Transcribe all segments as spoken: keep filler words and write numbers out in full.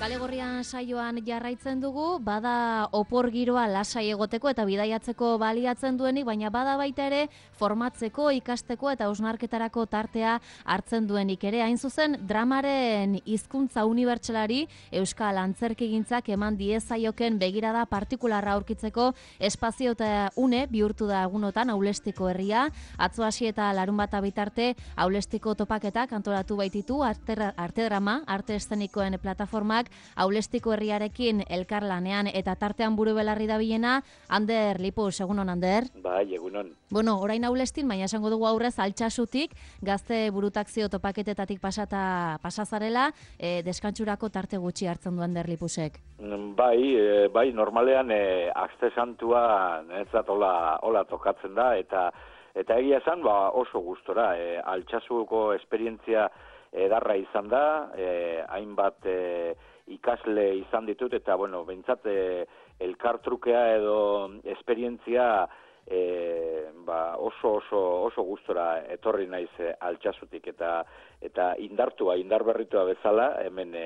Kale Gorrian saioan jarraitzen dugu, bada opor giroa lasai egoteko eta bidaiatzeko baliatzen duenik, baina bada baita ere formatzeko, ikasteko eta hausnarketarako tartea hartzen duenik ere. Hain zuzen, dramaren hizkuntza unibertsalari Euskal Antzerkigintzak eman diezaioken begirada partikularra aurkitzeko espazio eta une bihurtu da egunotan Aulestiko herria. Atzo hasi eta larun bata bitarte Aulestiko topaketak antolatu baititu arte, arte drama, arte eszenikoen plataformak Aulestiko herriarekin elkarlanean eta tartean buru belarri dabilena, Ander Lipus, egunon Ander? Bai, egunon. Bueno, orain Aulestin, baina esango dugu aurrez Altsasutik, gazte burutakzio topaketetatik pasata pasazarela, e, deskantsurako tarte gutxi hartzen du Ander Lipusek. Bai, e, bai, normalean e, Aste Santua netzat hola, hola tokatzen da, eta eta egia esan ba, oso gustora. E, Altsasuko esperientzia edarra izan da, e, hainbat e, ikasle izan ditut, eta, bueno, behintzat, e, elkartrukea edo esperientzia e, ba, oso, oso, oso gustora etorri naiz e, Altsasutik, eta eta indartua, indarberritua bezala, hemen e,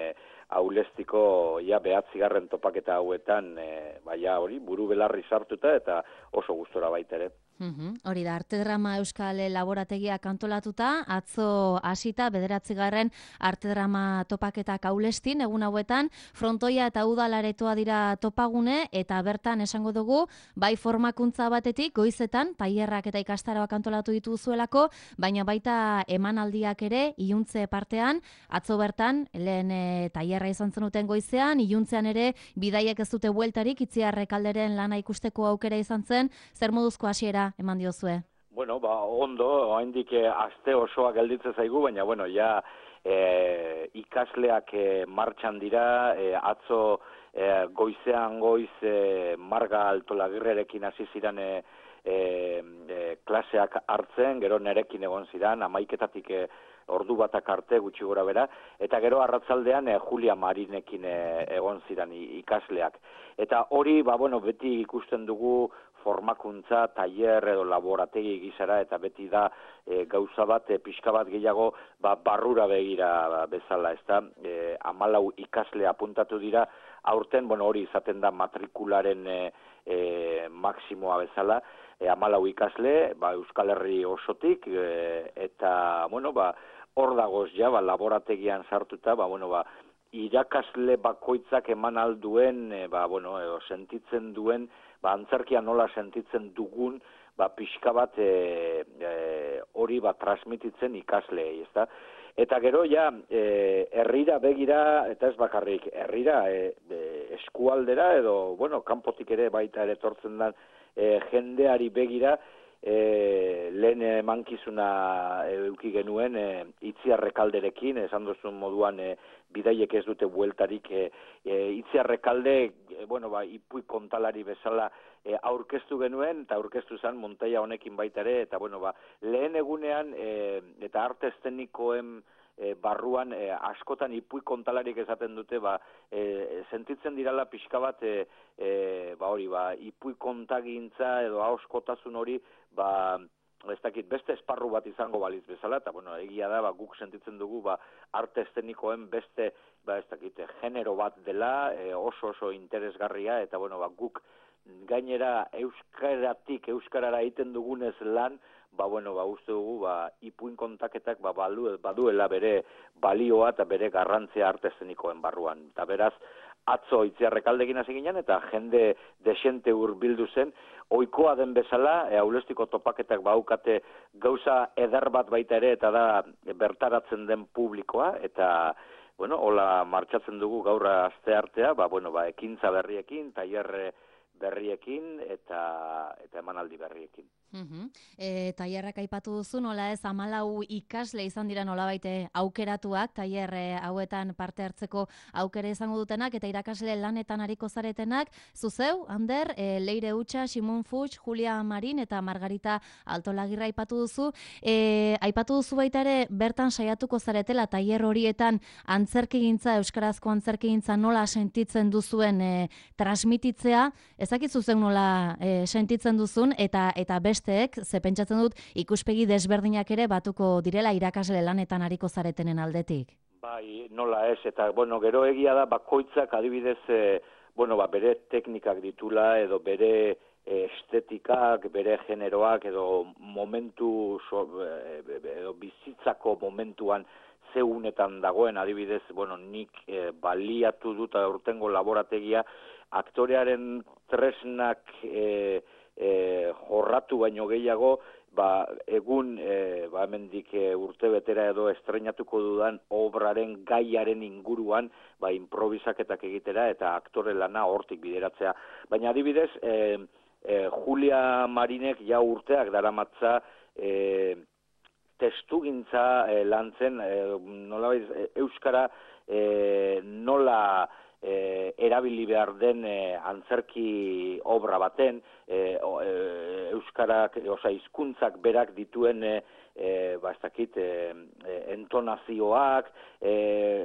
Aulestiko ja behatzigarren topaketa hauetan, e, baina hori, buru belarri sartuta, eta oso gustora baita ere. Uhum, hori da, arte drama Euskal Laborategiak antolatuta, atzo hasita bederatzigarren arte drama topaketak Aulestin, egun hauetan, frontoia eta udalaretoa dira topagune, eta bertan esango dugu, bai formakuntza batetik, goizetan, tailerrak eta ikastaroak antolatu dituzuelako, baina baita emanaldiak ere, iluntze partean, atzo bertan, lehen e, tailerra izan zenuten goizean, iluntzean ere, bidaiek ez dute bueltarik, Itziarrek alderen lana ikusteko aukera izan zen, zer moduzko hasiera eman diozue? Bueno, ba, ondo, oraindik eh, aste osoa gelditzen zaigu, baina, bueno, ja eh, ikasleak eh, martxan dira, eh, atzo eh, goizean goiz eh, Marga Altolagirrerekin hasi ziren eh, eh, klaseak hartzen, gero nerekin egon ziren, hamaiketatik eh, ordu batak arte gutxi gora bera, eta gero arratzaldean eh, Julia Marinekin eh, egon ziren ikasleak. Eta hori, ba, bueno, beti ikusten dugu formakuntza, tailer edo laborategi gizara, eta beti da e, gauza bat, e, pixka bat gehiago ba, barrura begira ba, bezala, ez da, e, amalau ikasle apuntatu dira, aurten, bueno, hori izaten da matrikularen e, e, maksimoa bezala, e, amalau ikasle, ba, Euskal Herri osotik, e, eta, bueno, ba, hor dagoz ja, ba, laborategian sartuta, ba, bueno, ba, irakasle bakoitzak eman alduen, e, ba, bueno, edo, sentitzen duen, ba, antzerkia nola sentitzen dugun, ba, pixka bat e, e, hori ba, transmititzen ikasleei, ezta? Eta gero, ja, e, herrira begira, eta ez bakarrik, herrira e, e, eskualdera, edo, bueno, kanpotik ere baita ere tortzen da e, jendeari begira, E, lehen emankizuna eduki genuen e, Itziarrekalderekin, esan duzun moduan e, bidaiek ez dute bueltarik, e, e, Itziarrekalde, e, bueno, ba, Ipui kontalari bezala e, aurkeztu genuen, eta aurkeztu zen Montaia honekin baita ere, eta bueno, ba, lehen egunean e, eta arte eszenikoen E, barruan e, askotan Ipui kontalarik esaten dute, ba, e, sentitzen dirala pixka bat, e, e, ba hori, ba, Ipui kontagintza edo ahoskotasun hori, ba, ez dakit, beste esparru bat izango baliz bezala, eta bueno, egia da, ba, guk sentitzen dugu, ba, arte eszenikoen beste, ba, ez dakit, genero bat dela, e, oso oso interesgarria, eta bueno, ba, guk gainera euskaratik, euskarara egiten dugunez lan, ba, bueno, ba, uste dugu, ba, Ipuin kontaketak, ba, balu, baduela bere balioa eta bere garrantzia arte eszenikoen barruan. Eta beraz, atzo Itziarrekaldekin hasi ginen, eta jende desente hurbildu zen, ohikoa den bezala, e, Aulestiko topaketak baukate gauza eder bat baita ere, eta da bertaratzen den publikoa, eta, bueno, hola martxatzen dugu gaur aste artea, ba, bueno, ba, ekintza berriekin, tailer berriekin, eta, eta emanaldi berriekin. Uhum. E, tailerrak aipatu duzu, nola ez, hamalau ikasle izan dira nolabaite aukeratuak, tailer hauetan parte hartzeko aukera izango dutenak, eta irakasle lanetan ariko zaretenak, zuzeu, Ander, e, Leire Utxa, Simon Fuchs, Julia Marin eta Margarita Altolagirra aipatu duzu. E, aipatu duzu baita ere, bertan saiatuko zaretela tailer horietan antzerkigintza, euskarazko antzerkigintza nola sentitzen duzuen e, transmititzea, ezakizu zen nola e, sentitzen duzun, eta eta beste ze pentsatzen dut ikuspegi desberdinak ere batuko direla irakasle lanetan ariko zaretenen aldetik. Bai, nola ez, eta, bueno, gero egia da, bakoitzak adibidez, e, bueno, ba, bere teknikak ditula, edo bere estetikak, bere generoak, edo momentu, so, edo bizitzako momentuan zeunetan dagoen, adibidez, bueno, nik e, baliatu dut aurtengo laborategia, aktorearen tresnak e, e, jorratu baino gehiago, ba, egun, e, ba, hemendik e, urte betera edo estreinatuko dudan obraren gaiaren inguruan, ba, improvisaketak egitera eta aktore lana hortik bideratzea. Baina adibidez, e, e, Julia Marinek ja urteak daramatza e, testugintza e, lantzen, e, nola e, euskara e, nola E, erabili behar den e, antzerki obra baten, e, o, e, euskarak, oza, hizkuntzak berak dituen e, e, ba, ez dakit, e, e, entonazioak, e,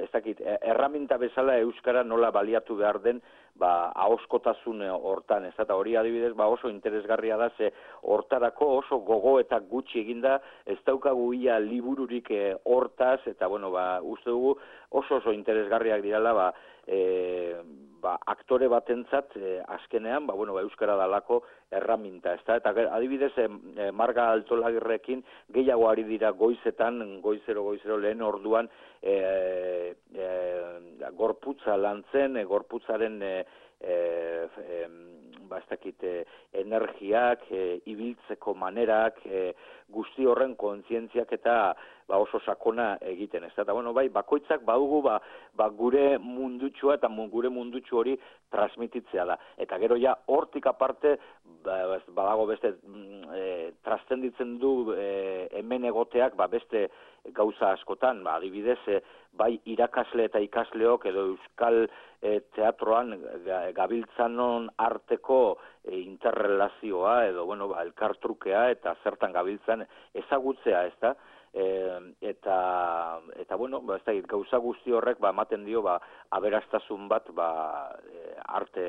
ez dakit, erraminta bezala euskara nola baliatu behar den, ba, ahoskotasun hortan, ez eta hori adibidez, ba, oso interesgarria da, ze hortarako oso gogo eta gutxi eginda, ez daukagu ia libururik e, hortaz, eta, bueno, ba, uste dugu oso oso interesgarriak dirala, ba, E, ba, aktore batentzat e, azkenean, ba, bueno, ba, euskara dalako erraminta, ez da? Eta adibidez, e, Marga Altolagirrekin gehiago ari dira goizetan, goizero, goizero lehen orduan, e, e, gorputza lantzen, e, gorputzaren e, e, e, ba, ez dakit, e, energiak, e, ibiltzeko manerak, e, guzti horren kontzientziak eta ba, oso sakona egiten, ez da, eta bueno, bai, bakoitzak badugu, ba, ba gure mundutxua eta gure mundutxu hori transmititzea da, eta gero ja, hortik aparte, ba, badago beste, e, trastenditzen du e, hemen egoteak, ba, beste gauza askotan, ba, adibidez, e, bai irakasle eta ikasleok edo euskal e, teatroan gabiltzanon arteko e, interrelazioa edo, bueno, ba, elkartrukea eta zertan gabiltzan ezagutzea, ez da? E, eta, eta bueno, ba, ez da, gauza guzti horrek ba, ematen dio ba, aberastasun bat ba, e, arte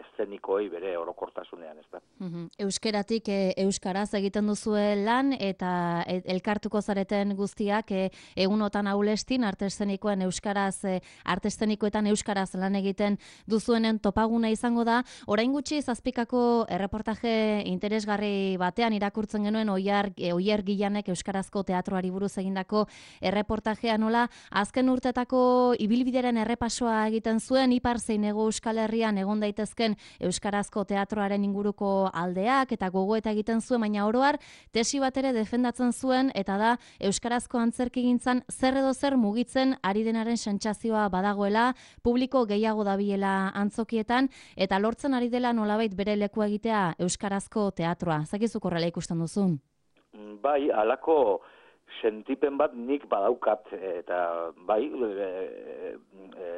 eszenikoei bere orokortasunean, ez da. Uhum. Euskeratik e, euskaraz egiten duzue lan eta e, elkartuko zareten guztiak e, egunotan aulestin arte eszenikoen euskaraz, e, arte eszenikoetan euskaraz lan egiten duzuenen topaguna izango da. Orain gutxi zazpikako erreportaje interesgarri batean irakurtzen genuen Oier, e, Oier Gillanek euskarazko teatroari buruz egindako erreportajea nola azken urtetako ibilbideren errepasoa egiten zuen ipar zein hego Euskal Herrian egon daitezken euskarazko teatroaren inguruko aldeak eta gogoeta egiten zuen, baina oroar tesi bat ere defendatzen zuen eta da euskarazko antzerkigintzan zer edo zer mugitzen ari denaren sentsazioa badagoela, publiko gehiago dabilela antzokietan eta lortzen ari dela nolabait bere leku egitea euskarazko teatroa. Zakizuk horrela ikusten duzun? Bai, halako sentipen bat nik badaukat eta bai, e, e,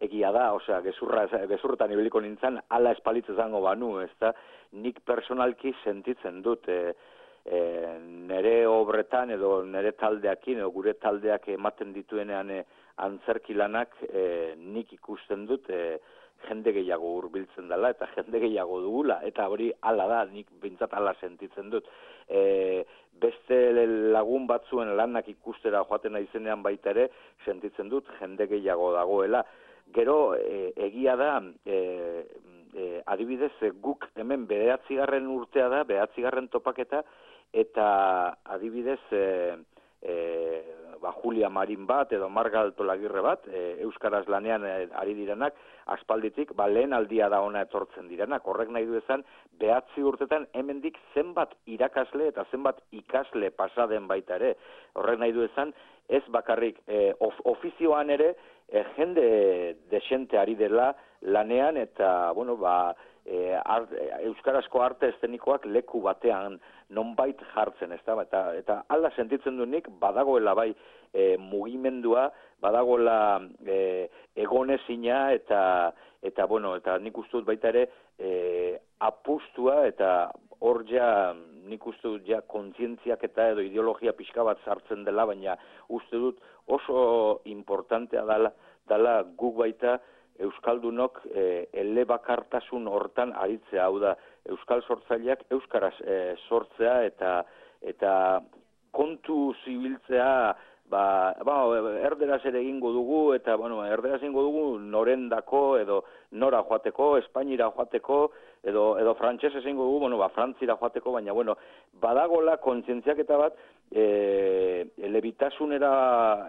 egia da, osea, gezurra, gezurretan ibiliko nintzen, ala espalitz izango banu, ez da, nik personalki sentitzen dut, e, e, nere obretan edo nere taldeakin, edo gure taldeak ematen dituenean e, antzerkilanak e, nik ikusten dut, e, jende gehiago hurbiltzen dela, eta jende gehiago dugula, eta hori ala da, nik bintzat ala sentitzen dut. E, beste lagun batzuen lanak ikustera joaten naizenean baita ere, sentitzen dut jende gehiago dagoela. Gero, e, egia da, e, e, adibidez, guk hemen bederatzigarren urtea da, bederatzigarren topaketa, eta adibidez, e, e, ba, Julia Marin bat, edo Marga Altolagirre bat, e, euskaraz lanean e, ari direnak, aspalditik, ba, lehen aldia da ona etortzen direnak. Horrek nahi du ezan, behatzi urtetan hemendik zenbat irakasle eta zenbat ikasle pasaden baita ere. Horrek nahi du ezan, ez bakarrik e, of, ofizioan ere, E, jende desente ari dela lanean eta, bueno, ba, e, art, euskarazko arte eszenikoak leku batean nonbait jartzen, ez da? Eta, eta alda sentitzen du nik, badagoela bai e, mugimendua, badagoela e, egonezina eta, eta, bueno, eta nik uste dut baita ere e, apustua eta hor ja, nik uste dut ja kontzientziak eta edo ideologia pixka bat sartzen dela, baina uste dut oso importantea dela, dela guk baita euskaldunok e, elebakartasun hortan aritzea, hau da euskal sortzaileak euskaraz e, sortzea eta eta kontu zibiltzea ba, ba, erderaz ere egingo dugu, eta, bueno, erderaz egingo dugu norendako, edo nora joateko, Espainira joateko, edo, edo frantsesez egingo dugu, bueno, ba, Frantzira joateko, baina, bueno, badagola kontzientziaketa bat, e, elebitasunera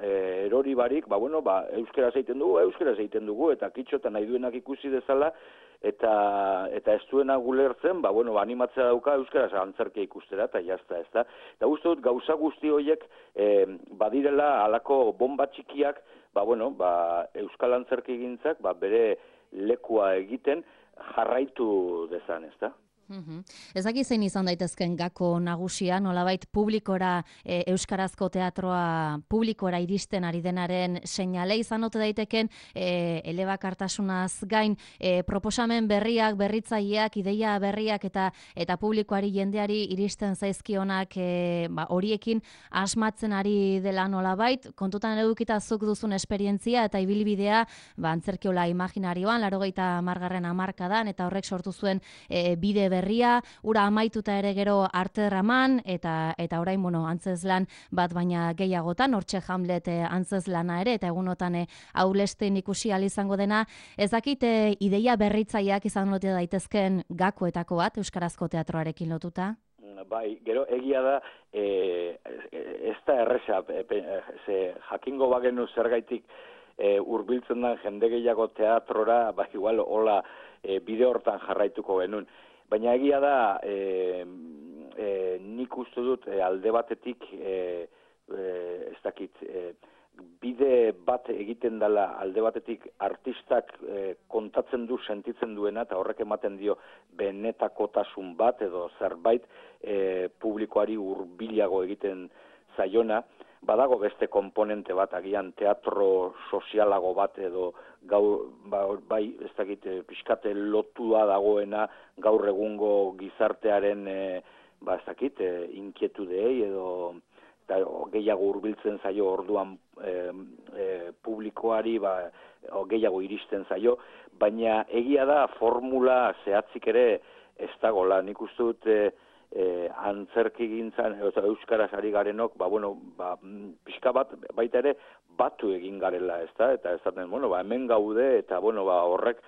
e, erori barik, ba, bueno, ba, euskeraz egiten dugu, euskeraz egiten dugu, eta kitxotan nahi duenak ikusi dezala, eta eta ez duena gulertzen, ba, bueno, ba, animatzea dauka euskaraz antzerkia ikustera, eta jazta, ez da. Eta uste dut, gauza guzti horiek e, badirela halako bomba txikiak, ba, bueno, ba, euskal antzerki gintzak, ba, bere lekua egiten jarraitu dezan, ez da. Uhum. Ez dakit zein izan daitezken gako nagusia, nolabait publikora, e, euskarazko teatroa publikora iristen ari denaren seinale izan ote daiteken, e, elebakartasunaz gain, e, proposamen berriak, berritzaileak, ideia berriak eta eta publikoari jendeari iristen zaizkionak e, ba, horiekin asmatzen ari dela nolabait, kontutan edukita zuk duzun esperientzia eta ibilbidea, ba, antzerkiola imaginarioan, laurogeita hamargarren hamarkadan, eta horrek sortu zuen e, bide berri berria, ura amaituta ere gero arterraman, eta eta orain, bueno, antzezlan bat baina gehiagotan, hortxe Hamlet antzezlana ere, eta egunotan aulesten ikusi ahal izango dena, ez dakit ideia berritzaileak izan lote daitezken gakoetako bat, euskarazko teatroarekin lotuta? Bai, gero egia da, e, ez da erresa, e, ze, jakingo bagenu zergaitik e, hurbiltzen den jende gehiago teatrora, ba, igual, hola, e, bide hortan jarraituko genuen. Baina egia da, e, e, nik uste dut e, alde batetik, e, e, ez dakit, e, bide bat egiten dela alde batetik artistak e, kontatzen du, sentitzen duena, eta horrek ematen dio benetakotasun bat edo zerbait e, publikoari hurbilago egiten zaiona. Badago beste konponente bat, agian teatro sozialago bat edo gaur, ba, bai, ez dakit, pixkate lotua dagoena gaur egungo gizartearen, e, ba, ez dakit, e, inkietudeei edo eta gehiago hurbiltzen zaio orduan e, e, publikoari, ba, gehiago iristen zaio, baina egia da formula zehatzik ere ez dagoela. Nik uste dut, e, E, antzerki gintzan, eta euskaraz ari garenok, ba, bueno, ba, pixka bat, baita ere, batu egin garela, ez da, eta ez da, bueno, ba, hemen gaude, eta, bueno, ba, horrek,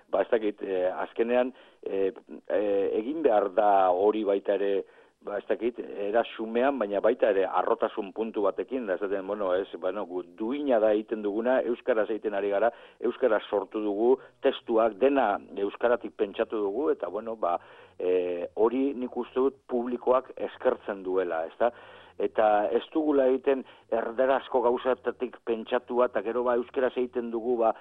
ba, ez dakit, e, azkenean, e, e, egin behar da hori baita ere, ba, ez dakit, era xumean, baina baita ere, arrotasun puntu batekin, da, ez da, bueno, ez, bueno, duina da egiten duguna, euskaraz egiten ari gara, euskaraz sortu dugu, testuak, dena euskaratik pentsatu dugu, eta, bueno, ba, E, hori nik uste dut publikoak eskertzen duela, ez da? Eta ez dugula egiten erderazko gauzatatik pentsatua, eta gero ba euskeraz egiten dugu ba,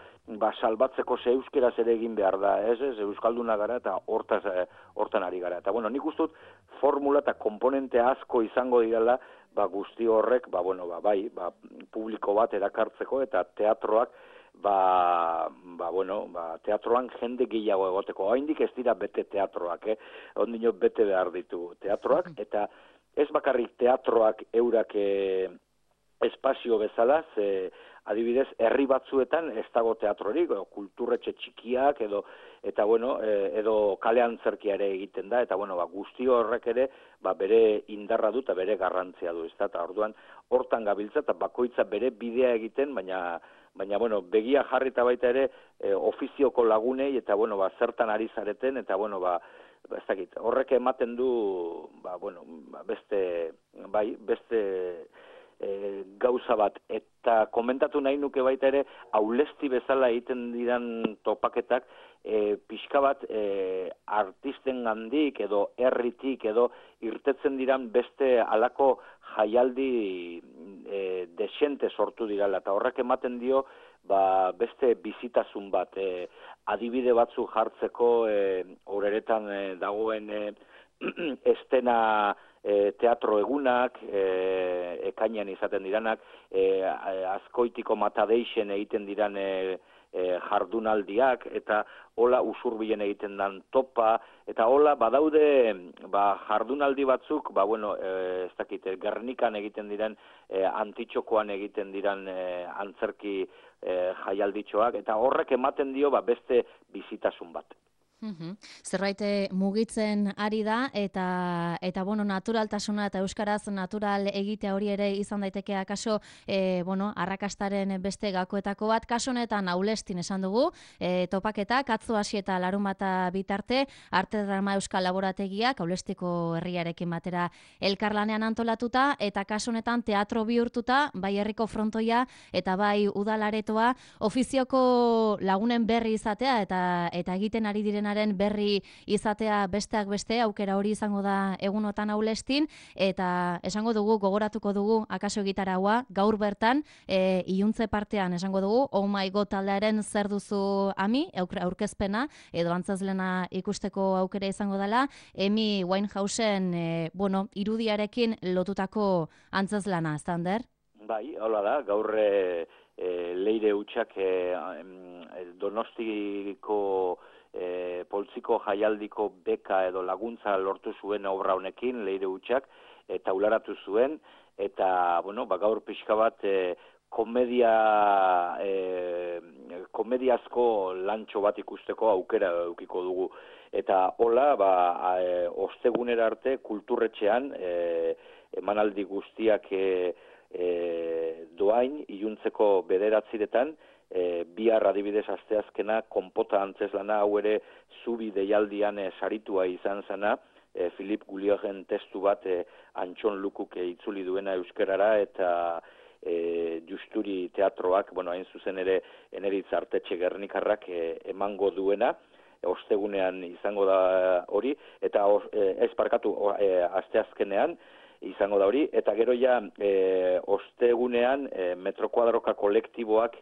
ba salbatzeko ze euskeraz ere egin behar da, ez ez? Euskalduna gara eta hortaz, hortan ari gara. Eta bueno, nik uste dut formula eta komponente asko izango direla, ba guzti horrek, ba bueno, ba bai, ba publiko bat erakartzeko eta teatroak Ba, ba, bueno, ba, teatroan jende gehiago egoteko. Oraindik ez dira bete teatroak, eh? Ondino bete behar ditu teatroak, eta ez bakarrik teatroak eurak eh, espazio bezala, ze adibidez, herri batzuetan ez dago teatrorik, edo kulturretxe txikiak, edo, eta bueno, e, edo kale antzerkia ere egiten da, eta bueno, ba, guzti horrek ere, ba, bere indarra du eta bere garrantzia du, ez da, eta orduan, hortan gabiltza, eta bakoitza bere bidea egiten, baina, baina, bueno, begia jarrita baita ere, e, ofizioko lagunei, eta bueno, ba, zertan ari zareten, eta bueno, ba, ez dakit, horrek ematen du, ba, bueno, ba, beste, bai, beste, E, gauza bat, eta komentatu nahi nuke baita ere, aulesti bezala egiten diran topaketak, e, pixka bat e, artisten gandik edo herritik edo irtetzen diran beste alako jaialdi e, desente sortu dirala, eta horrek ematen dio ba, beste bizitasun bat, e, adibide batzu jartzeko e, horeretan e, dagoen e, estena E, teatro egunak, e, ekainean izaten diranak, e, azkoitiko matadeixen egiten diran e, e, jardunaldiak, eta hola usurbilen egiten dan topa, eta hola badaude ba, jardunaldi batzuk, ba, bueno, e, ez dakit, Gernikan egiten diren, e, Antitxokoan egiten diran e, antzerki e, jaialditxoak, eta horrek ematen dio ba, beste bizitasun bat. Mhm. Zerbait mugitzen ari da eta eta bueno, naturaltasuna eta euskaraz natural egitea hori ere izan daiteke akaso e, bueno, arrakastaren beste gakoetako bat. Kasu honetan Aulestin esan dugu, e, topaketak atzo hasi eta larunbata bitarte Arte Drama Euskal Laborategiak Aulestiko herriarekin batera elkarlanean antolatuta eta kasu honetan teatro bihurtuta bai herriko frontoia eta bai udalaretoa ofizioko lagunen berri izatea eta eta egiten ari diren berri izatea besteak beste, aukera hori izango da egunotan Aulestin, eta esango dugu, gogoratuko dugu, akaso gitaraua, gaur bertan, e, iluntze partean esango dugu, oh my god taldearen zer duzu ami, aurkezpena, edo antzazlena ikusteko aukera izango dela, Amy Winehousen, e, bueno, irudiarekin lotutako antzazlana, Zander? Bai, hola da, gaur e, e, leire hutsak e, Donostiko E, poltsiko jaialdiko beka edo laguntza lortu zuen obra honekin, leire hutsak, eta ularatu zuen, eta, bueno, ba, gaur pixka bat e, komedia, e, komediazko lantxo bat ikusteko aukera eukiko dugu. Eta hola, ba, e, ostegunera arte kulturretxean, e, emanaldi guztiak e, e, doain, iluntzeko bederatziretan, E, bihar adibidez asteazkena konpota antzeslana hau ere zubi deialdian e, saritua izan zena, e, Filip Guliogen testu bat e, Antxon Lukuk e, itzuli duena euskerara eta e, Justuri teatroak, bueno, hain zuzen ere Eneritz Artetxe Gernikarrak e, emango duena, e, ostegunean izango da hori, eta e, ez parkatu e, asteazkenean, izango da hori, eta gero ja e, ostegunean e, Metrokuadroka kolektiboak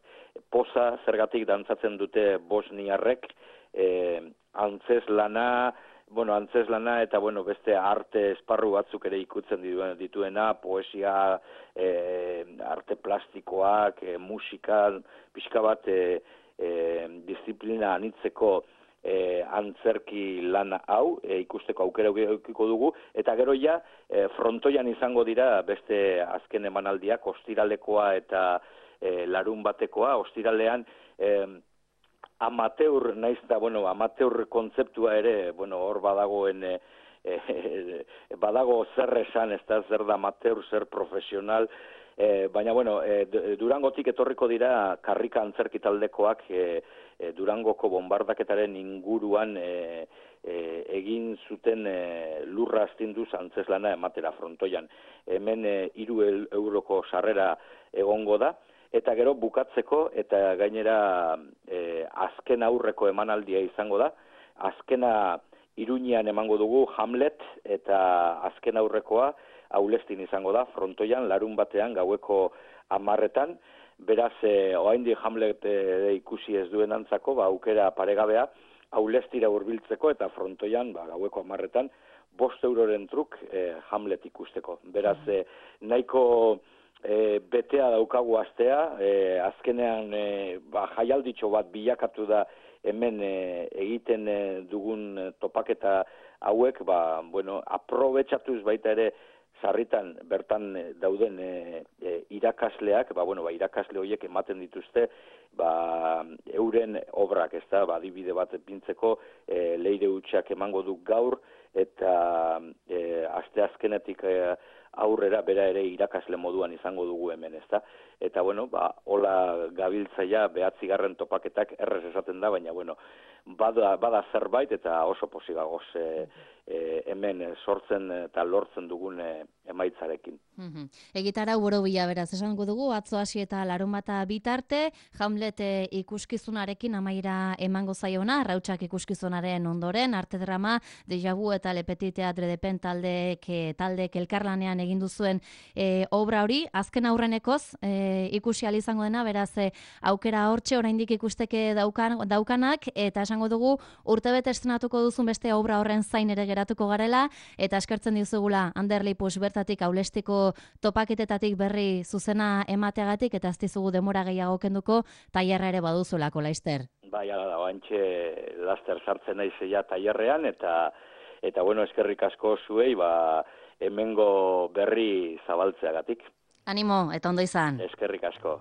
poza zergatik dantzatzen dute bosniarrek, e, antzeslana, bueno, antzeslana eta bueno, beste arte esparru batzuk ere ikutzen dituena, poesia, e, arte plastikoak, e, musika, pixka bat e, e, disiplina anitzeko E, antzerki lan hau, e, ikusteko aukera eukiko dugu, eta gero ja, e, frontoian izango dira beste azken emanaldiak, ostiralekoa eta e, larun batekoa, ostiralean e, amateur, naiz da, bueno, amateur kontzeptua ere, bueno, hor badagoen, e, e, badago zer esan, ez da zer da amateur, zer profesional, E, baina, bueno, e, Durangotik etorriko dira karrika antzerki taldekoak e, e, Durangoko bombardaketaren inguruan e, e, egin zuten e, lurra astinduz antzeslana ematera frontoian. Hemen e, hiru euroko sarrera egongo da, eta gero bukatzeko eta gainera e, azken aurreko emanaldia izango da. Azkena Iruñean emango dugu Hamlet eta azken aurrekoa Aulestin izango da, frontoian, larun batean, gaueko hamarretan, beraz, e, oraindik Hamlet e, ikusi ez duen antzako, ba, aukera paregabea, Aulestira hurbiltzeko eta frontoian, ba, gaueko hamarretan, bost euroren truk e, Hamlet ikusteko. Beraz, e, nahiko e, betea daukagu astea, e, azkenean e, ba, jaialditxo bat bilakatu da hemen e, egiten e, dugun topaketa hauek, ba, bueno, aprobetxatuz baita ere, sarritan bertan dauden e, e, irakasleak, ba, bueno, ba, irakasle horiek ematen dituzte, ba, euren obrak, ez da, ba, adibide bat pintzeko, e, leire hutsak emango du gaur, eta e, asteazkenetik e, aurrera bera ere irakasle moduan izango dugu hemen, ez da. Eta, bueno, ba, hola gabiltzaia behatzigarren topaketak errez esaten da, baina, bueno, bada, bada zerbait eta oso posigagoz e, e, hemen sortzen eta lortzen dugun e, emaitzarekin. Mm-hmm. Egitara boro bila beraz esango dugu, atzo hasi eta larunbata bitarte, Hamlet ikuskizunarekin amaira emango zaiona, Rautsak ikuskizunaren ondoren, Arte Drama, Deja Vu eta Le Petit Teatre de Pen taldek, taldek elkarlanean egin duzuen e, obra hori, azken aurrenekoz e, ikusi ahal izango dena, beraz e, aukera hortxe oraindik ikusteke daukan, daukanak, eta esango dugu urtebete estrenatuko duzun beste obra horren zain ere geratuko garela, eta eskertzen dizugula Ander Lipus bertatik Aulestiko topaketetatik berri zuzena emateagatik, eta ez dizugu demora gehiago kenduko, tailerra ere baduzulako, Laister. Bai, ala da, oantxe laster sartzen naizeia tailerrean, eta eta bueno, eskerrik asko zuei, ba, hemengo berri zabaltzeagatik. Animo, eta ondo izan. Eskerrik asko.